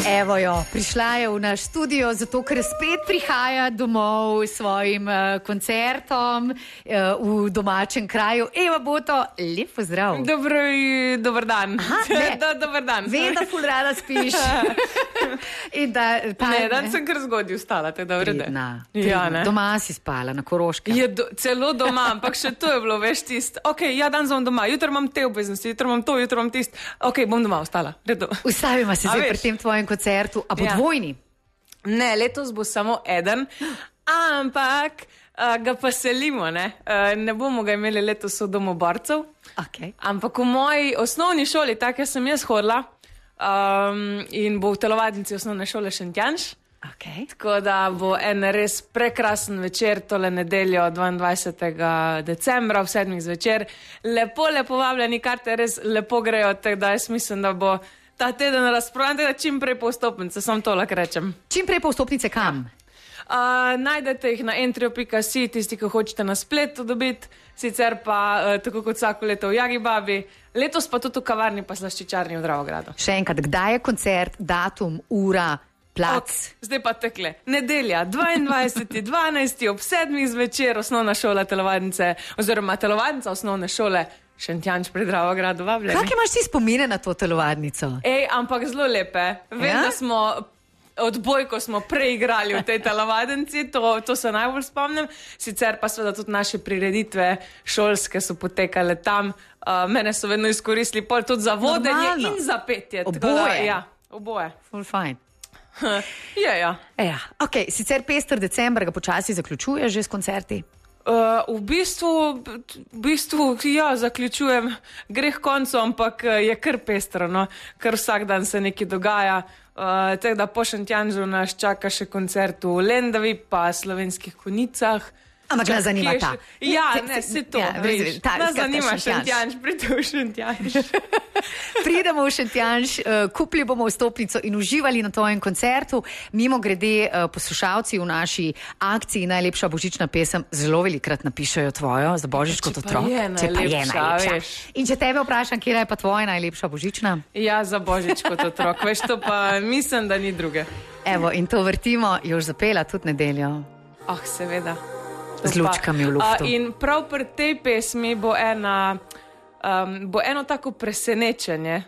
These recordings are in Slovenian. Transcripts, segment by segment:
Evo jo, prišla je v naš studio, zato ker spet prihaja domov s svojim koncertom v domačem kraju. Eva Boto, lep pozdrav. Dober dan. Dober dan. Vem, da ful rada spiš. Dan sem kar zgodaj vstala, te dobro de. Doma si spala, na Koroškem. Celo doma, ampak še to je bilo, veš, tist. Ok, dan sem doma, jutro imam te obveznosti, jutro imam to, jutro imam tist. Ok, bom doma vstala. Ustavimo se zdaj pri tem tvojem koncertu. A bo dvojni? Ne, letos bo samo eden, ampak ga pa selimo, ne? Ne bomo ga imeli letos v domu borcev, ampak v moji osnovni šoli, tako sem jaz hodila, in bo v telovadnici osnovne šole Šentjanž. Tako da bo en res prekrasen večer, tole nedeljo 22. decembra v 7. zvečer. Lepo vabljeni, karte res lepo grejo, tako da jaz mislim, da bo ta teden razprodan, da čim prej po vstopnice, samo to lahko rečem. Čim prej po vstopnice kam? Najdete jih na entrio.si, tisti, ki hočete na spletu dobiti, sicer pa tako kot vsako leto v Jagibabi, letos pa tudi v kavarni pa slaščičarni v Dravogradu. Še enkrat, kdaj je koncert, datum, ura, plac? Zdaj pa tekle. Nedelja, 22.12. ob 7. zvečer, osnovna šola telovadnice, oziroma telovadnica osnovne šole Šentjanž pri Dravogradu, vabljeni. Kak imaš ti spomine na to telovadnico? Ampak zelo lepe. Vem, da smo odbojko smo preigrali v tej telovadnici, to se najbolj spomnim. Sicer pa seveda tudi naše prireditve šolske so potekale tam. Mene so vedno izkoristili pol tudi za vodenje in za petje. Oboje? Ja, oboje. Full fine. Ja. Ok, sicer pester december ga počasi zaključuje že s koncerti? V bistvu, ja, zaključujem, gre k koncu, ampak je kar pestro, no, kar vsak dan se nekaj dogaja, tako da po Šentjanžu nas čaka še koncert v Lendavi, pa Slovenskih Konjicah. Ampak nas zanima ta. Ja, ne, se to, veš, nas zanima Šentjanž, pridemo v Šentjanž. Pridemo v Šentjanž, kupili bomo vstopnico in uživali na tvojem koncertu. Mimo grede poslušalci v naši akciji Najlepša božična pesem zelo velikrat napišajo tvojo za božič kot otrok. Če pa je najlepša. In če tebe vprašam, kje je pa tvoja najlepša božična? Ja, za božič kot otrok, veš, to pa mislim, da ni druge. Evo, in to vrtimo, Jož zapela tudi nedeljo. Seveda. Z lučkami v luftu. In prav pri tej pesmi bo eno tako presenečenje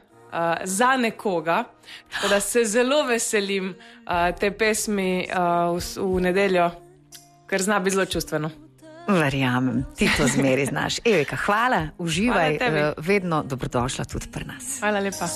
za nekoga, da se zelo veselim te pesmi v nedeljo, ker zna biti zelo čustveno. Verjamem, ti to zmeri znaš. Evika, hvala, uživaj, vedno dobrodošla tudi pri nas. Hvala lepa.